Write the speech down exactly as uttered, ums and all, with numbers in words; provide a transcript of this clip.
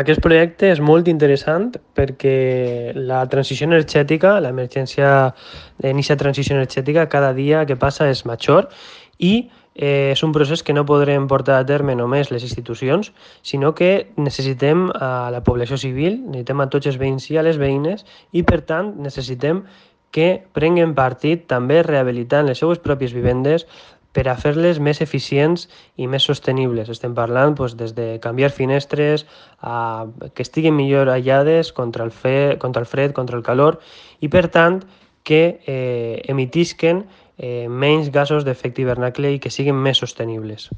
Aquest projecte és molt interessant perquè la transició energètica, l'emergència d'iniciar transició energètica, cada dia que passa és major i eh, és un procés que no podrem portar a terme només les institucions, sinó que necessitem a la població civil, necessitem a tots els veïns i a les veïnes i, per tant, necessitem que prenguen partit també rehabilitant les seues pròpies vivendes per a fer-les més eficients i més sostenibles. Estem parlant doncs, des de canviar finestres, a que estiguin millor aïllades contra el, fe, contra el fred, contra el calor i, per tant, que eh, emitisquen eh, menys gasos d'efecte hivernacle i que siguin més sostenibles.